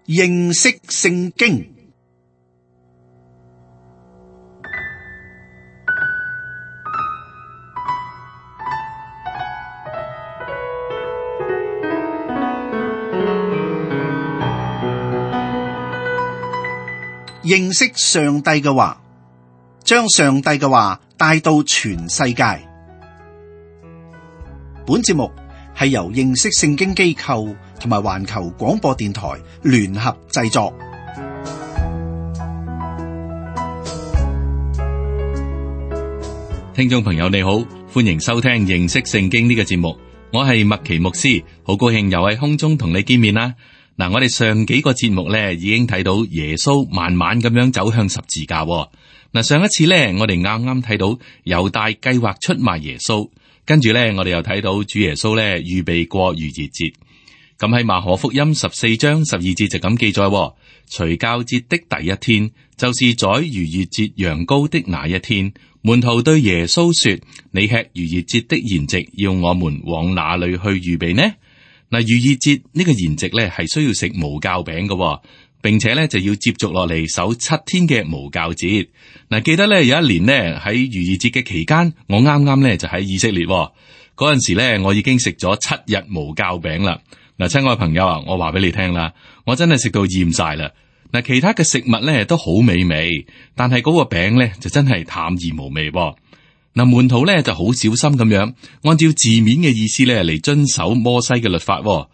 認識聖經。認識上帝嘅話，將上帝嘅話帶到全世界。本節目係由認識聖經機構同埋環球廣播電台聯合製作。聽眾朋友你好，歡迎收聽認識聖經呢個節目，我係麥奇牧師，好高興又喺空中同你見面啦。嗱，我哋上幾個節目咧已經睇到耶穌慢慢咁樣走向十字架。嗱，上一次咧我哋啱啱睇到猶大計劃出賣耶穌，跟住咧我哋又睇到主耶穌咧預備過逾越節。咁喺馬可福音14章12節就咁記載，除酵節的第一天，就是宰逾越節羊羔的那一天，門徒對耶穌說：你吃逾越節的筵席，要我們往哪裏去預備呢？嗱，逾越節呢個筵席咧係需要食無酵餅嘅，並且咧就要接續落嚟守7天嘅無酵節。嗱，記得咧有一年呢，喺逾越節嘅期間，我啱啱咧就喺以色列嗰陣時咧，我已經食咗7日無酵餅啦。嗱，親愛朋友啊，我話俾你聽啦，我真係食到厭晒啦。嗱，其他嘅食物咧都好美味，但係嗰個餅咧就真係淡而無味。嗱，門徒咧就好小心咁樣，按照字面嘅意思咧嚟遵守摩西嘅律法。佢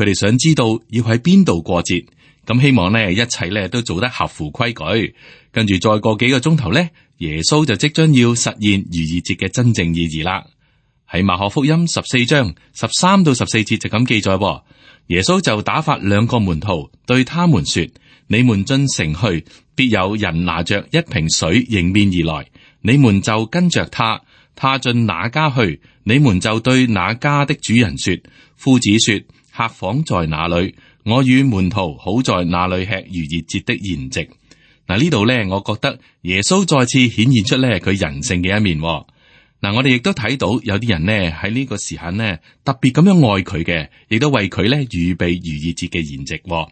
哋想知道要喺邊度過節，咁希望咧一切咧都做得合乎規矩。跟住再過幾個鐘頭咧，耶穌就即將要實現逾越節嘅真正意義啦。喺馬可福音14章13到14節就咁記載，耶穌就打發2個門徒對他們說：你們進城去，必有人拿着一瓶水迎面而來。你們就跟着他，他進哪家去，你們就對那家的主人說：夫子說，客房在哪裏？我與門徒好在那裏吃逾越節的筵席。嗱，呢度咧，我覺得耶穌再次顯現出咧佢人性嘅一面。嗱，我哋亦都睇到有啲人呢喺呢個時刻呢特別咁樣愛佢嘅，亦都為佢咧預備逾越節嘅筵席。嗱，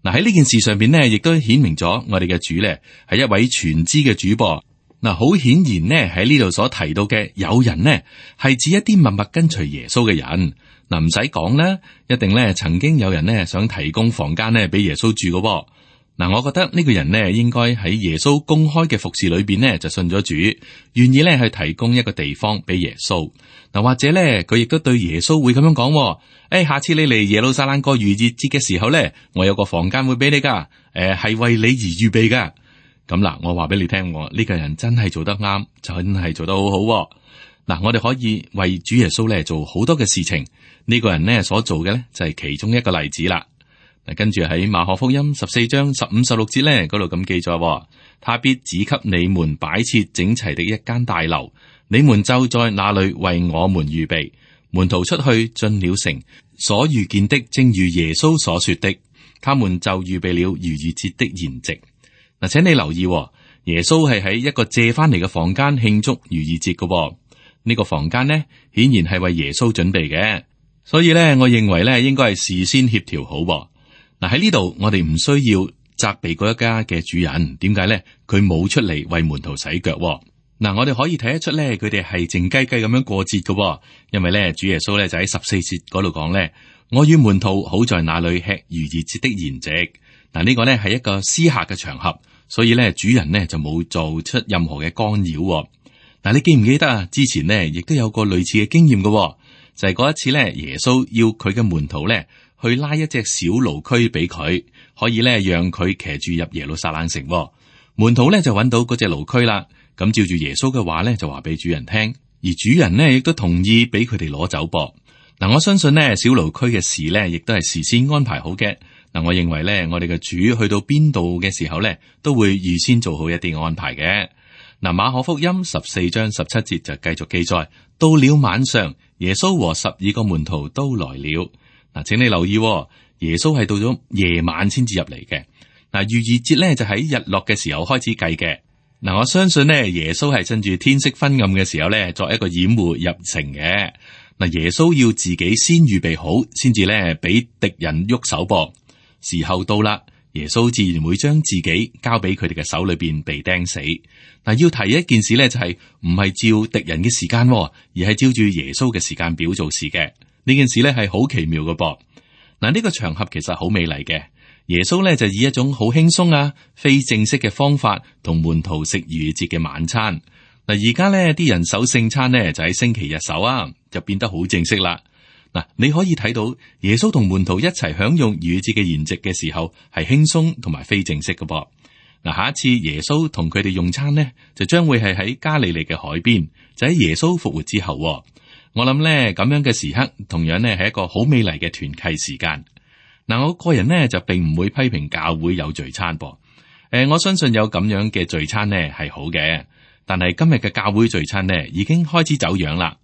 喺呢件事上邊呢，亦都顯明咗我哋嘅主咧係一位全知嘅主噃。嗱，好顯然呢喺呢度所提到嘅有人呢係指一啲默默跟隨耶穌嘅人。嗱，唔使講啦，一定咧曾經有人呢想提供房間呢俾耶穌住嘅。嗱，我覺得呢個人呢應該喺耶穌公開嘅服侍裏邊呢就信咗主，願意咧去提供一個地方俾耶穌。嗱，或者咧佢亦都對耶穌會咁樣講：下次你嚟耶路撒冷過逾越節嘅時候咧，我有個房間會俾你噶，係為你而預備噶。咁嗱，我話俾你聽，呢個人真係做得啱，真係做得好好。嗱，我哋可以為主耶穌咧做好多嘅事情，呢個人呢所做嘅咧就係其中一個例子啦。嗱，跟住喺馬可福音14章15、16節咧嗰度咁記載：他必指給你們擺設整齊的一間大樓，你們就在那裏為我們預備。門徒出去進了城，所遇見的正如耶穌所說的，他們就預備了逾越節的筵席。嗱，請你留意，耶穌係喺一個借翻嚟嘅房間慶祝逾越節嘅。呢個房間呢，顯然係為耶穌準備嘅，所以咧，我認為咧應該係事先協調好。嗱，喺呢度，我哋唔需要責備嗰一家嘅主人，點解咧？佢冇出嚟為門徒洗腳。嗱，我哋可以睇得出咧，佢哋係靜雞雞咁樣過節嘅，因為咧，主耶穌咧就喺14節嗰度講咧：我與門徒好在那裏吃逾越節的筵席。嗱，呢個咧係一個私下嘅場合，所以咧主人呢就冇做出任何嘅干擾。嗱，你記唔記得啊？之前呢亦都有個類似嘅經驗嘅，就係嗰一次咧，耶穌要佢嘅門徒咧去拉一隻小驢駒俾佢，可以咧讓佢騎住入耶路撒冷城。門徒咧就揾到嗰隻驢駒啦，咁照住耶穌嘅話咧就話俾主人聽，而主人呢亦都同意俾佢哋攞走噃。嗱，我相信呢小驢駒嘅事咧亦都係事先安排好嘅。嗱，我認為咧，我哋嘅主去到邊度嘅時候咧，都會預先做好一啲安排嘅。嗱，馬可福音14章17節就繼續記載：到了晚上，耶穌和12個門徒都來了。嗱，請你留意，耶穌係到咗夜晚先至入嚟嘅。嗱，逾越節咧就喺日落嘅時候開始計嘅。嗱，我相信呢，耶穌係趁住天色昏暗嘅時候咧，作一個掩護入城嘅。嗱，耶穌要自己先預備好，先至咧俾敵人喐手噃。時候到啦，耶穌自然會將自己交俾佢哋嘅手裏邊被釘死。嗱，要提一件事咧，就係唔係照敵人嘅時間，而係照住耶穌嘅時間表做事嘅。呢件事咧係好奇妙嘅噃。嗱，呢個場合其實好美麗嘅。耶穌咧就以一種好輕鬆啊、非正式嘅方法同門徒食逾越節嘅晚餐。嗱，而家咧啲人守聖餐呢，就喺星期日守啊，就變得好正式啦。嗱，你可以睇到耶穌同門徒一齊享用逾越節嘅筵席嘅時候，係輕鬆同埋非正式嘅噃。嗱，下一次耶穌同佢哋用餐呢，就將會係喺加利利嘅海邊，就喺耶穌復活之後。我諗咧咁樣嘅時刻，同樣呢係一個好美麗嘅團契時間。嗱，我個人呢就並唔會批評教會有聚餐噃。我相信有咁樣嘅聚餐呢係好嘅，但係今日嘅教會聚餐呢已經開始走樣啦。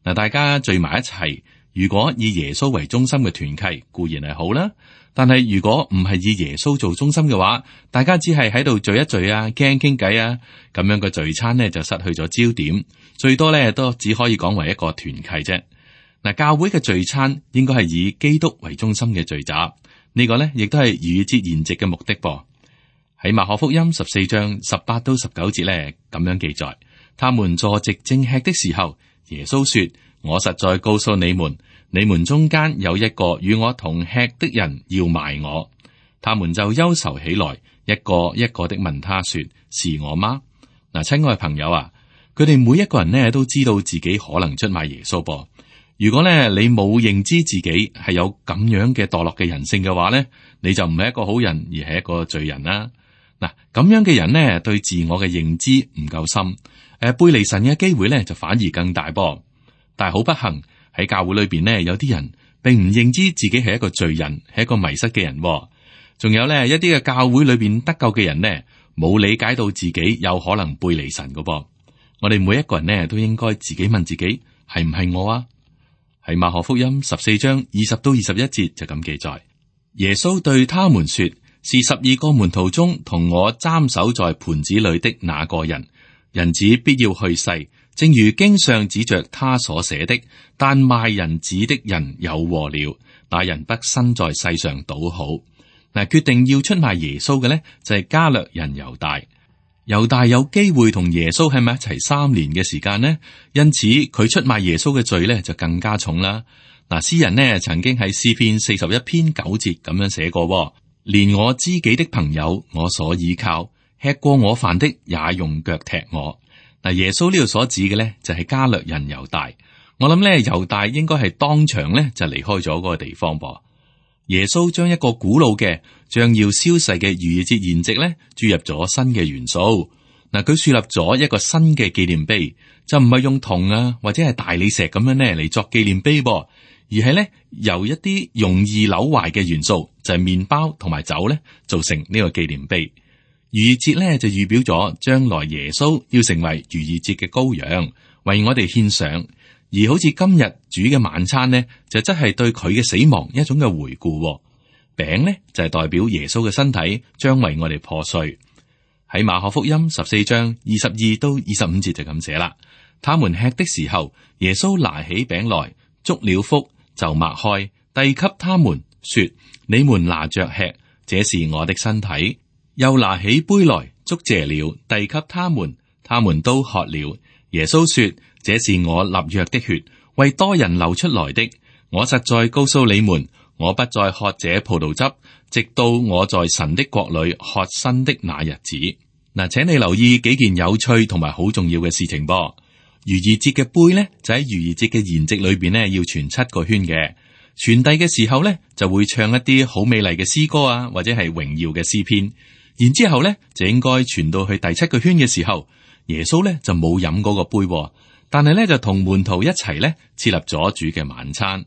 嗱，大家聚埋一齊，如果以耶穌為中心嘅團契固然係好啦，但係如果唔係以耶穌做中心嘅話，大家只係喺度聚一聚啊，傾偈啊，咁樣嘅聚餐呢就失去咗焦點，最多呢都只可以講為一個團契啫。嗱，教會嘅聚餐應該係以基督為中心嘅聚集，呢個呢亦都係逾越節筵席嘅目的噃。喺馬可福音14章18到19節呢咁樣記載，他們坐席正吃的時候，耶穌說：我實在告訴你們，你們中間有一個與我同吃的人要賣我。他們就憂愁起來，一個一個的問他說：是我嗎？嗱，親愛朋友啊，佢哋每一個人呢都知道自己可能出賣耶穌噃。如果咧你冇認知自己係有咁樣嘅墮落嘅人性嘅話咧，你就唔係一個好人，而係一個罪人啦。嗱，咁樣嘅人呢，對自我嘅認知唔夠深，背離神嘅機會咧就反而更大噃。但係好不幸喺教會裏邊呢，有啲人並唔認知自己係一個罪人，係一個迷失嘅人。仲有咧一啲嘅教會裏邊得救嘅人呢，冇理解到自己有可能背離神㗎噃。我哋每一個人呢，都應該自己問自己，係唔係我啊？喺馬可福音14章20到21節就咁記載，耶穌對他們說：是12個門徒中同我蘸手在盤子裏的那個人，人子必要去世，正如經上指着他所寫的。但賣人子的人有禍了，那人不身在世上倒好。嗱，決定要出賣耶穌嘅呢，就係加略人猶大。猶大有機會同耶穌喺埋一齊3年嘅時間呢，因此佢出賣耶穌嘅罪呢就更加重啦。嗱，詩人呢曾經喺詩篇41篇9節咁樣寫過：連我知己的朋友，我所倚靠，吃過我飯的也用腳踢我。嗱，耶穌呢度所指嘅呢就係加略人猶大。我諗呢猶大應該係當場呢就離開咗嗰個地方噃。耶穌將一個古老嘅將要消逝嘅逾越節筵席咧注入咗新嘅元素。嗱，佢樹立咗一個新嘅紀念碑，就唔係用銅啊或者係大理石咁樣咧嚟作紀念碑噃，而係咧由一啲容易扭壞嘅元素，就係麵包同埋酒咧做成呢個紀念碑。逾越節咧就預表咗將來耶穌要成為逾越節嘅羔羊，為我哋獻上。而好似今日煮嘅晚餐呢，就真係對佢嘅死亡一種嘅回顧。餅呢，就係代表耶穌嘅身體將為我哋破碎。喺馬可福音14章22到25節就咁寫啦。他們吃的時候，耶穌拿起餅來，祝了福，就擘開，遞給他們，說：你們拿着吃，這是我的身體。又拿起杯來，祝謝了，遞給他們，他們都喝了。耶穌說：這是我立約的血，為多人流出來的。我實在告訴你們，我不再喝這葡萄汁，直到我在神的國裏喝新的那日子。嗱，請你留意幾件有趣同埋好重要嘅事情噃。逾越節嘅杯呢，就喺逾越節嘅筵席裏邊呢，要傳7個圈嘅。傳遞嘅時候呢，就會唱一啲好美麗嘅詩歌啊，或者係榮耀嘅詩篇。然之後呢，就應該傳到去第7個圈嘅時候，耶穌呢就冇飲嗰個杯，但係呢就同門徒一齊呢設立咗主嘅晚餐。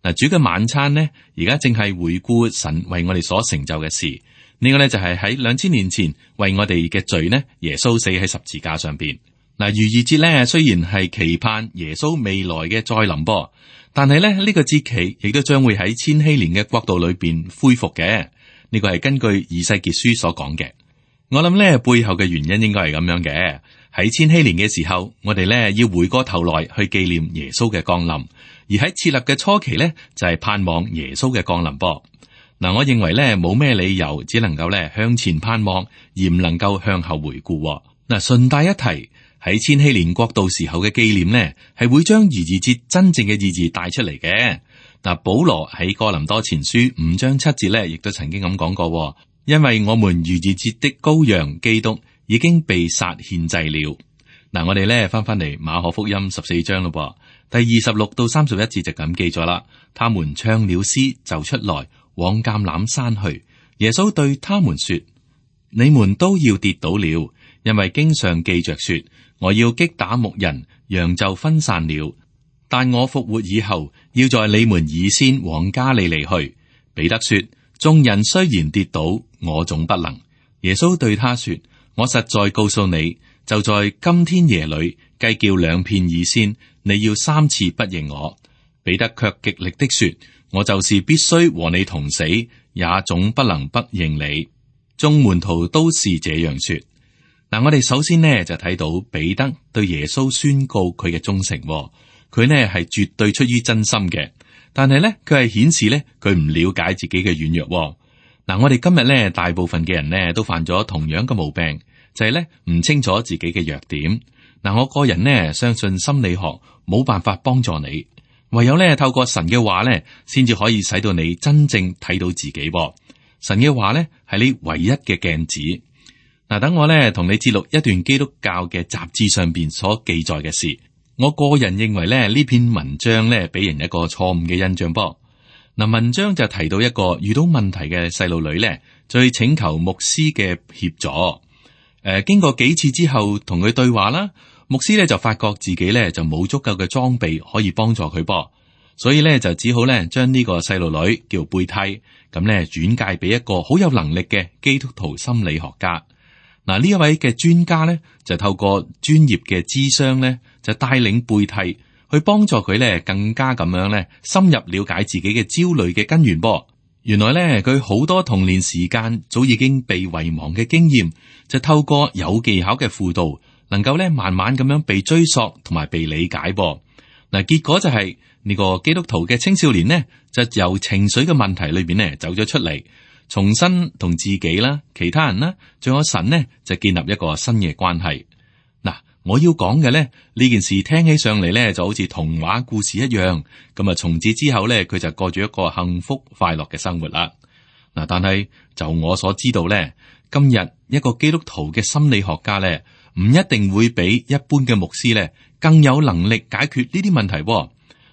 嗱，主嘅晚餐呢，而家正係回顧神為我哋所成就嘅事。呢個呢就係喺2000年前為我哋嘅罪呢，耶穌死喺十字架上邊。嗱，逾越節呢雖然係期盼耶穌未來嘅再臨噃，但係呢個節期亦都將會喺千禧年嘅國度裏邊恢復嘅。呢個係根據以西結書所講嘅。我諗呢背後嘅原因應該係咁樣嘅。喺千禧年嘅時候，我哋呢要回過頭來去紀念耶穌嘅降臨，而喺設立嘅初期呢，就係盼望耶穌嘅降臨噃。嗱，我認為咧冇咩理由，只能夠咧向前盼望，而唔能夠向後回顧。嗱，順帶一提，喺千禧年國度時候嘅紀念呢，係會將逾越節真正嘅意義帶出嚟嘅。嗱，保羅喺哥林多前書5章7節咧，亦都曾經咁講過，因為我們逾越節的羔羊基督已經被殺獻祭了。嗱，我哋咧翻嚟馬可福音14章咯，第26到31節就咁記咗啦。他們唱了詩就出來往橄欖山去。耶穌對他們說：你們都要跌倒了，因為經上記着說，我要擊打牧人，羊就分散了。但我復活以後，要在你們以先往加利利去。彼得說：眾人雖然跌倒，我總不能。耶穌對他說：我實在告訴你，就在今天夜裏，雞叫兩片以先，你要3次不認我。彼得卻極力的說：我就是必須和你同死，也總不能不認你。眾門徒都是這樣說。嗱，我哋首先呢就睇到彼得對耶穌宣告佢嘅忠誠，佢呢係絕對出於真心嘅，但係呢佢係顯示呢佢唔了解自己嘅軟弱。嗱，我哋今日呢大部分嘅人呢都犯咗同樣嘅毛病，就係呢唔清楚自己嘅弱點。嗱，我個人呢相信心理學冇辦法幫助你，唯有呢透過神嘅話呢，先至可以使到你真正睇到自己。神嘅話呢係你唯一嘅鏡子。嗱，等我呢同你節錄一段基督教嘅雜誌上邊所記載嘅事。我個人認為咧呢篇文章呢俾人一個錯誤嘅印象。嗱，文章就提到一個遇到問題嘅細路女呢，就去請求牧師嘅協助。經過幾次之後同佢對話啦，牧師呢就發覺自己呢就冇足夠嘅裝備可以幫助佢噃，所以呢就只好呢將呢個細路女叫貝蒂咁呢轉介俾一個好有能力嘅基督徒心理學家。嗱，呢一位嘅專家咧，就透過專業嘅諮商咧，就帶領貝蒂去幫助佢咧，更加咁樣咧，深入了解自己嘅焦慮嘅根源噃。原來咧，佢好多童年時間早已經被遺忘嘅經驗，就透過有技巧嘅輔導，能夠咧慢慢咁樣被追溯同埋被理解噃。嗱，結果就係呢個基督徒嘅青少年呢，就由情緒嘅問題裏邊咧走咗出嚟。重新同自己啦、其他人啦，仲有神呢，就建立一個新嘅關係。嗱，我要講嘅咧，呢件事聽起上嚟咧，就好似童話故事一樣。咁啊，從此之後咧，佢就過住一個幸福快樂嘅生活啦。嗱，但係就我所知道咧，今日一個基督徒嘅心理學家咧，唔一定會比一般嘅牧師咧更有能力解決呢啲問題。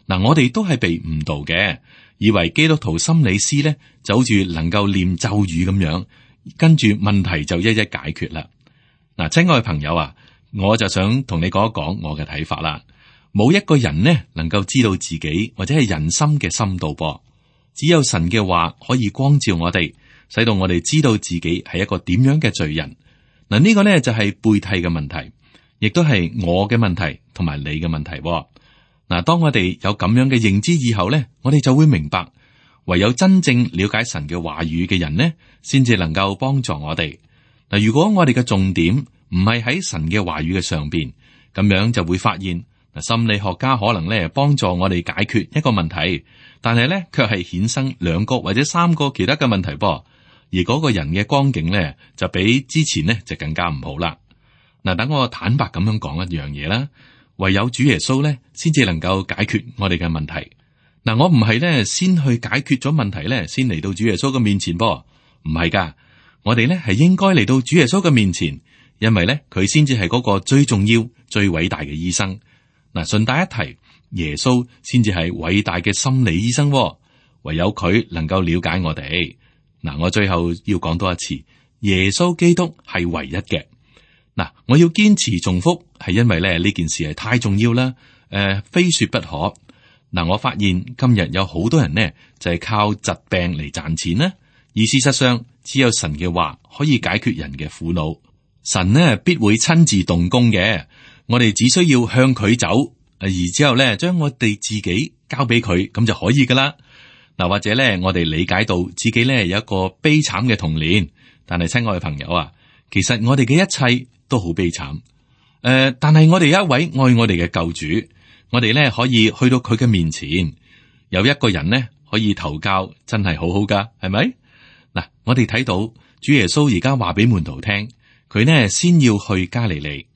嗱，我哋都係被誤導嘅。以為基督徒心理師咧就好似能夠念咒語咁樣，跟住問題就一一解決啦。嗱，親愛嘅朋友啊，我就想同你講一講我嘅睇法啦。冇一個人呢能夠知道自己或者係人心嘅深度噃，只有神嘅話可以光照我哋，使到我哋知道自己係一個點樣嘅罪人。嗱，呢個呢就係背替嘅問題，亦都係我嘅問題同埋你嘅問題。嗱，當我哋有咁樣嘅認知以後咧，我哋就會明白，唯有真正了解神嘅話語嘅人呢，先至能夠幫助我哋。嗱，如果我哋嘅重點唔係喺神嘅話語嘅上邊，咁樣就會發現，嗱，心理學家可能咧幫助我哋解決一個問題，但係咧卻係衍生2個或者3個其他嘅問題噃，而嗰個人嘅光景咧就比之前呢就更加唔好啦。嗱，等我坦白咁樣講一樣嘢啦。唯有主耶穌咧，先至能夠解決我哋嘅問題。嗱，我唔係咧先去解決咗問題咧，先嚟到主耶穌嘅面前噃，唔係噶。我哋咧係應該嚟到主耶穌嘅面前，因為咧佢先至係嗰個最重要、最偉大嘅醫生。嗱，順帶一提，耶穌先至係偉大嘅心理醫生，唯有佢能夠了解我哋。嗱，我最後要講多一次，耶穌基督係唯一嘅。嗱，我要堅持重複，係因為咧呢件事係太重要啦，非說不可。嗱，我發現今日有好多人呢，就係靠疾病嚟賺錢啦，而事實上只有神嘅話可以解決人嘅苦惱，神呢必會親自動工嘅。我哋只需要向佢走，而之後咧將我哋自己交俾佢，咁就可以噶啦。嗱，或者咧我哋理解到自己咧有一個悲慘嘅童年，但係親愛嘅朋友啊，其實我哋嘅一切都好悲慘，但係我哋有一位愛我哋嘅救主，我哋咧可以去到佢嘅面前。有一個人呢，可以投教，真係好好噶，係咪？嗱，我哋睇到主耶穌而家話俾門徒聽，佢呢先要去加利利。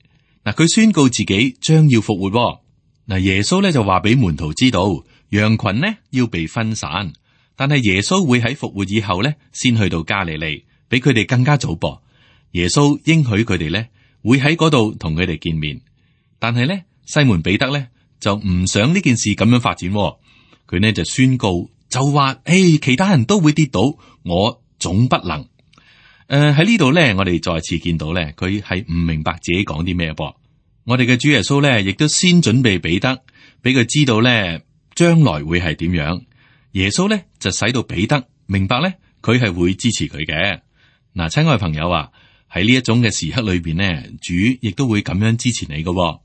嗱，佢宣告自己將要復活。嗱，耶穌咧就話俾門徒知道，羊群呢要被分散，但係耶穌會喺復活以後咧先去到加利利，比佢哋更加早噃。耶穌應許佢哋咧會喺嗰度同佢哋見面，但係咧西門彼得咧就唔想呢件事咁樣發展，佢呢就宣告就話：其他人都會跌倒，我總不能。喺呢度咧，我哋再次見到咧，佢係唔明白自己講啲咩噃。我哋嘅主耶穌咧，亦都先準備彼得，俾佢知道咧將來會係點樣。耶穌咧就使到彼得明白咧，佢係會支持佢嘅。嗱，親愛朋友啊，喺呢一種嘅時刻裏邊呢，主亦都會咁樣支持你嘅。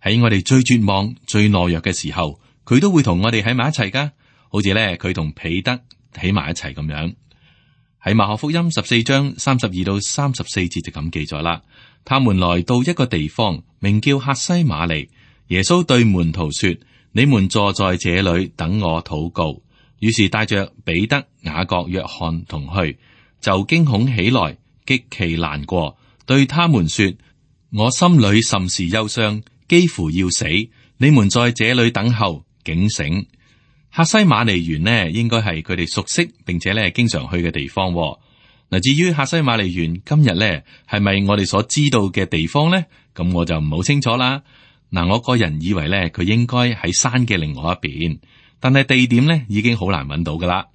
喺我哋最絕望、最懦弱嘅時候，佢都會同我哋喺埋一齊噶。好似咧，佢同彼得喺埋一齊咁樣。喺馬可福音14章32到34節就咁記載啦。他們來到一個地方，名叫客西馬尼。耶穌對門徒說：你們坐在這裏等我禱告。於是帶着彼得、雅各、約翰同去，就驚恐起來，極其難過，對他們說：我心裏甚是憂傷，幾乎要死。你們在這裏等候，警醒。客西馬尼園呢，應該係佢哋熟悉並且咧經常去嘅地方。嗱，至於客西馬尼園今日咧係咪我哋所知道嘅地方咧？咁我就唔好清楚啦。嗱，我個人以為咧佢應該喺山嘅另外一邊，但係地點咧已經好難揾到噶啦。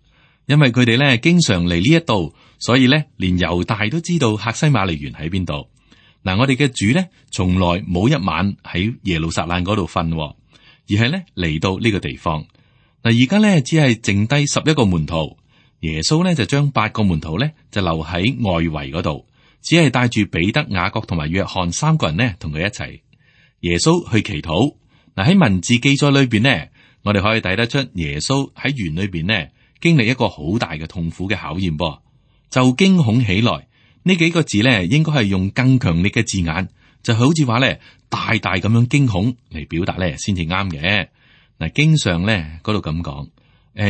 因為佢哋咧經常嚟呢一度，所以咧連猶大都知道客西馬尼園喺邊度。嗱，我哋嘅主咧從來冇一晚喺耶路撒冷嗰度瞓，而係咧嚟到呢個地方。嗱，而家咧只係剩低11個門徒，耶穌咧就將8個門徒咧就留喺外圍嗰度，只係帶住彼得、雅各同埋約翰3個人呢同佢一齊。耶穌去祈禱。嗱，喺文字記載裏邊呢，我哋可以睇得出耶穌喺園裏邊呢經歷一個好大嘅痛苦嘅考驗噃，就驚恐起來。呢幾個字咧應該係用更強力嘅字眼，就好似話咧大大咁樣驚恐嚟表達咧先至啱嘅。嗱，經常咧嗰度咁講，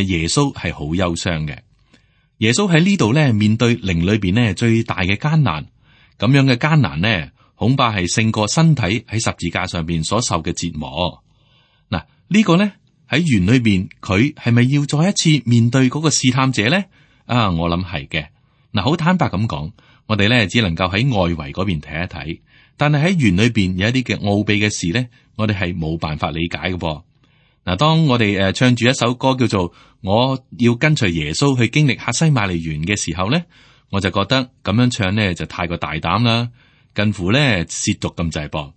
耶穌係好憂傷嘅。耶穌喺呢度咧面對靈裏邊咧最大嘅艱難，咁樣嘅艱難呢，恐怕係勝過身體喺十字架上邊所受嘅折磨。嗱，呢個咧喺園裏邊，佢係咪要再一次面對嗰個試探者咧？啊，我諗係嘅。嗱，好坦白咁講，我哋咧只能夠喺外圍嗰邊睇一睇，但係喺園裏邊有一啲嘅奧秘嘅事咧，我哋係冇辦法理解嘅噃。嗱，當我哋唱住一首歌叫做《我要跟隨耶穌去經歷客西馬尼園》嘅時候咧，我就覺得咁樣唱咧就太過大膽啦，近乎咧褻瀆咁滯噃。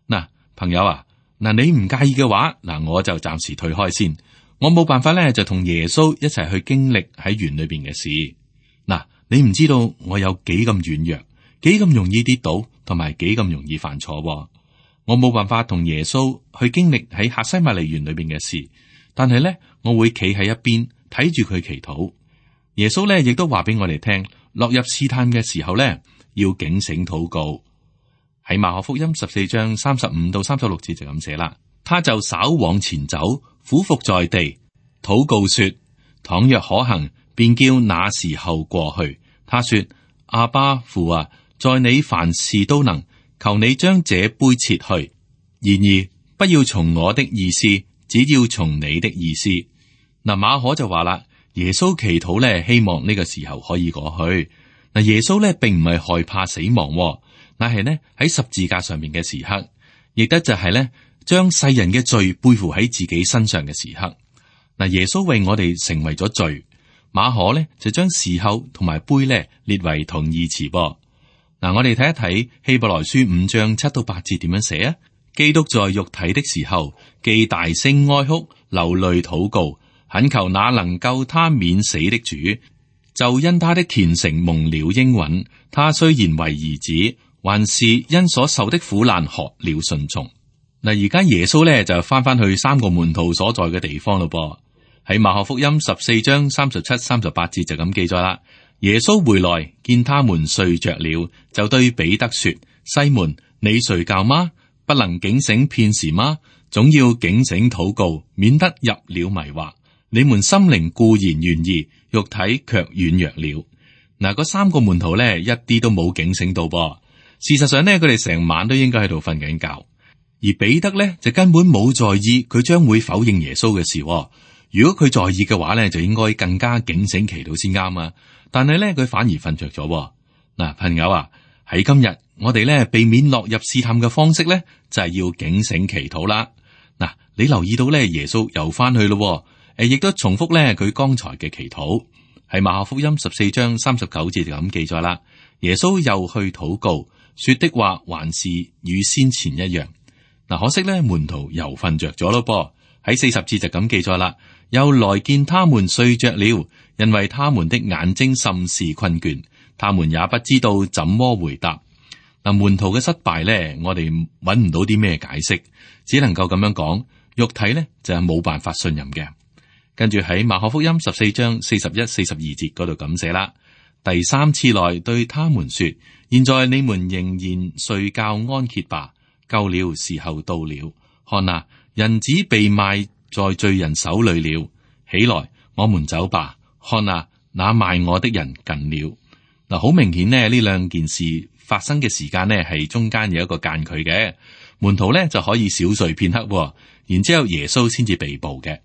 嗱，朋友啊，嗱，你唔介意嘅話，嗱，我就暫時退開先。我冇辦法咧就同耶穌一齊去經歷喺園裏邊嘅事。嗱，你唔知道我有幾咁軟弱，幾咁容易跌倒，同埋幾咁容易犯錯。我冇辦法同耶穌去經歷喺客西馬尼園裏邊嘅事，但係咧我會企喺一邊睇住佢祈禱。耶穌咧亦都話俾我哋聽，落入試探嘅時候咧要警醒禱告。喺馬可福音14章35到36節就咁寫啦。他就稍往前走，俯伏在地，禱告說：倘若可行，便叫那時候過去。他說：阿爸父啊，在你凡事都能。求你將這杯撤去，然而不要從我的意思，只要從你的意思。嗱，馬可就話啦，耶穌祈禱咧，希望呢個時候可以過去。嗱，耶穌咧並唔係害怕死亡，乃係呢喺十字架上面嘅時刻，亦都就係咧將世人嘅罪背負喺自己身上嘅時刻。嗱，耶穌為我哋成為咗罪，馬可咧就將時候同埋杯咧列為同義詞噃。嗱，我哋睇一睇希伯來書5章7到8節點樣寫啊？基督在肉體的時候，既大聲哀哭，流淚禱告，懇求那能救他免死的主，就因他的虔誠蒙了應允。他雖然為兒子，還是因所受的苦難學了順從。嗱，而家耶穌咧就翻去3個門徒所在嘅地方咯噃。喺馬可福音14章37、38節就咁記載啦。耶穌回來見他們睡着了，就對彼得說：西門，你睡覺嗎？不能警醒片時嗎？總要警醒禱告，免得入了迷惑。你們心靈固然願意，肉體卻軟弱了。嗱，嗰三個門徒咧，一啲都冇警醒到噃。事實上呢，佢哋成晚都應該喺度瞓緊覺，而彼得咧就根本冇在意佢將會否認耶穌嘅事。如果佢在意嘅話咧，就應該更加警醒祈禱先啱啊。但係咧，佢反而瞓着咗。嗱，朋友啊，喺今日我哋咧避免落入試探嘅方式咧，就係要警醒祈禱啦。嗱，你留意到咧，耶穌又翻去咯，亦都重複咧佢剛才嘅祈禱。喺馬可福音14章39節就咁記載啦。耶穌又去禱告，說的話還是與先前一樣。嗱，可惜咧門徒又瞓着咗咯噃。喺40節就咁記載啦。又來見他們睡着了，因為他們的眼睛甚是困倦，他們也不知道怎麼回答。嗱，門徒嘅失敗咧，我哋揾唔到啲咩解釋，只能夠咁樣講，肉體咧就係冇辦法信任嘅。跟住喺馬可福音14章41、42節嗰度咁寫啦。第三次來對他們說：現在你們仍然睡覺安歇吧，夠了，時候到了。看啊，人子被賣在罪人手裏了。起來，我們走吧。看啊，那賣我的人近了。嗱，好明顯呢，呢兩件事發生嘅時間呢係中間有一個間距嘅。門徒呢就可以小睡片刻，然之後耶穌先至被捕嘅。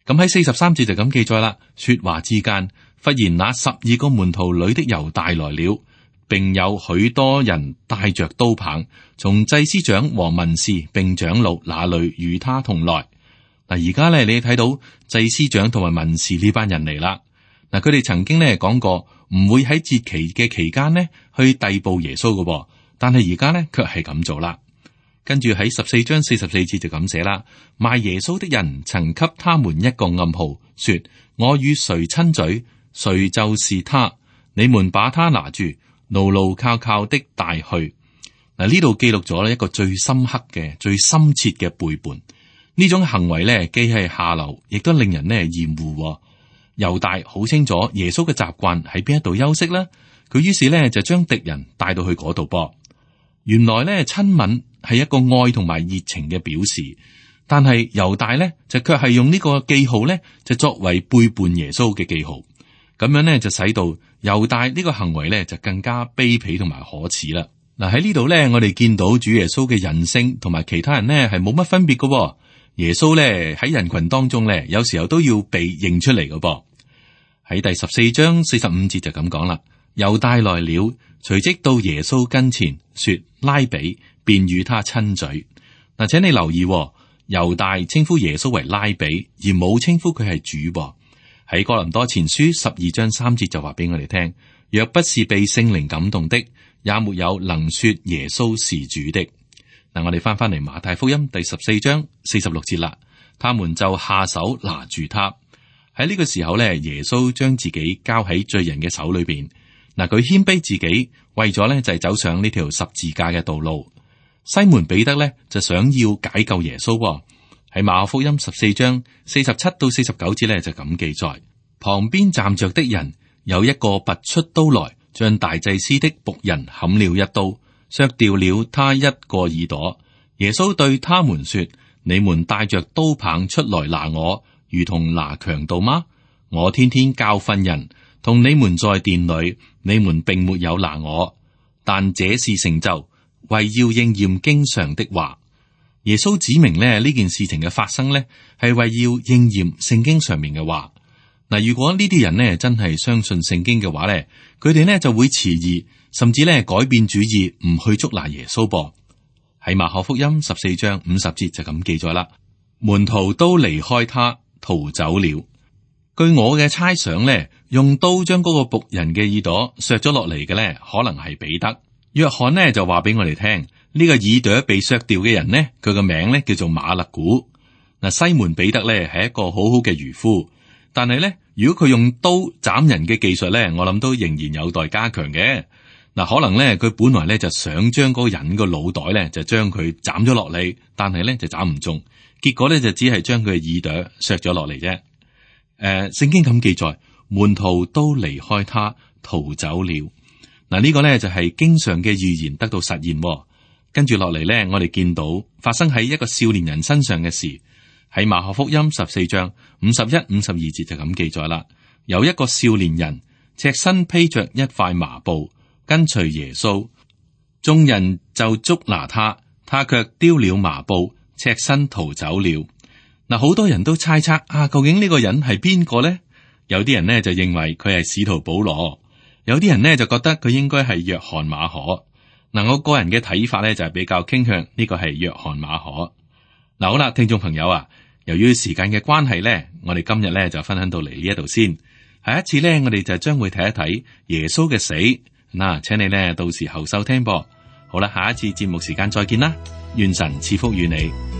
咁喺43節就咁記載啦。說話之間，忽然那12個門徒裏的猶大來了，並有許多人帶着刀棒，從祭司長和文士並長老那裏與他同來。嗱，而家咧你睇到祭司長同埋文士呢班人嚟啦。嗱，佢哋曾經咧講過唔會喺節期嘅期間呢去逮捕耶穌嘅，但係而家咧卻係咁做啦。跟住喺14章44節就咁寫啦。賣耶穌的人曾給他們一個暗號，說：我與誰親嘴，誰就是他。你們把他拿住，牢牢靠靠的帶去。嗱，呢度記錄咗一個最深刻嘅、最深切嘅背叛。呢種行為咧，既係下流，亦都令人咧厭惡。猶大好清楚耶穌嘅習慣喺邊一度休息啦，佢於是咧就將敵人帶到去嗰度噃。原來咧親吻係一個愛同埋熱情嘅表示，但係猶大咧就卻係用呢個記號咧就作為背叛耶穌嘅記號，咁樣咧就使到猶大呢個行為咧就更加卑鄙同埋可恥啦。嗱，喺呢度咧，我哋見到主耶穌嘅人性同埋其他人咧係冇乜分別嘅。耶穌咧喺人群當中咧，有時候都要被認出嚟嘅噃。喺第14章45節就咁講啦。猶大來了，隨即到耶穌跟前，說：拉比，便與他親嘴。嗱，請你留意，猶大稱呼耶穌為拉比，而冇稱呼佢係主噃。喺哥林多前書12章3節就話俾我哋聽：若不是被聖靈感動的，也沒有能說耶穌是主的。嗱，我哋翻嚟馬太福音第14章46節啦。他們就下手拿住他。喺呢個時候咧，耶穌將自己交喺罪人嘅手裏邊。嗱，佢謙卑自己，為咗咧就係走上呢條十字架嘅道路。西門彼得咧就想要解救耶穌。喺馬可福音14章47到49節咧就咁記載：旁邊站着的人有一個拔出刀來，將大祭司的僕人砍了一刀，削掉了他一個耳朵。耶穌對他們說：你們帶着刀棒出來拿我，如同拿強盜嗎？我天天教訓人，同你們在殿裏，你們並沒有拿我，但這是成就，為要應驗經上的話。耶穌指明呢件事情嘅發生呢，係為要應驗聖經上面嘅話。嗱，如果呢啲人呢真係相信聖經嘅話呢，佢哋呢就會遲疑，甚至呢改變主意，唔去捉拿耶穌噃。喺馬可福音14章50節就咁記載啦，門徒都離開他逃走了。據我嘅猜想呢，用刀將嗰個僕人嘅耳朵削咗落嚟嘅呢，可能係彼得。約翰呢就話俾我哋聽，呢個耳朵被削掉嘅人呢，佢個名呢叫做馬勒古。嗱，西門彼得呢係一個好好嘅漁夫，但係呢，如果佢用刀斬人嘅技術呢，我諗都仍然有待加強嘅。嗱，可能呢，佢本來呢就想將嗰個人個腦袋呢就將佢斬咗落嚟，但係呢就斬唔中，結果呢就只係將佢嘅耳朵削咗落嚟啫。聖經咁記載，門徒都離開他逃走了。嗱，呢個呢就係經上嘅預言得到實現。跟住落嚟呢，我哋見到發生喺一個少年人身上嘅事。喺馬可福音14章51、52節就咁記載啦。有一個少年人赤身披着一塊麻布跟隨耶穌，眾人就捉拿他，他卻丟了麻布，赤身逃走了。嗱，好多人都猜測啊，究竟呢個人係邊個呢？有啲人呢就認為佢係使徒保羅，有啲人呢就覺得佢應該係約翰馬可。嗱，我個人嘅睇法呢就係比較傾向呢個係約翰馬可。嗱，好啦，聽眾朋友啊，由於時間嘅關係呢，我哋今日呢就分享到嚟呢一度先。下一次呢，我哋就將會睇一睇耶穌嘅死。嗱，請你呢到時候收聽噃。好啦，下一次節目時間再見啦，願神賜福與你。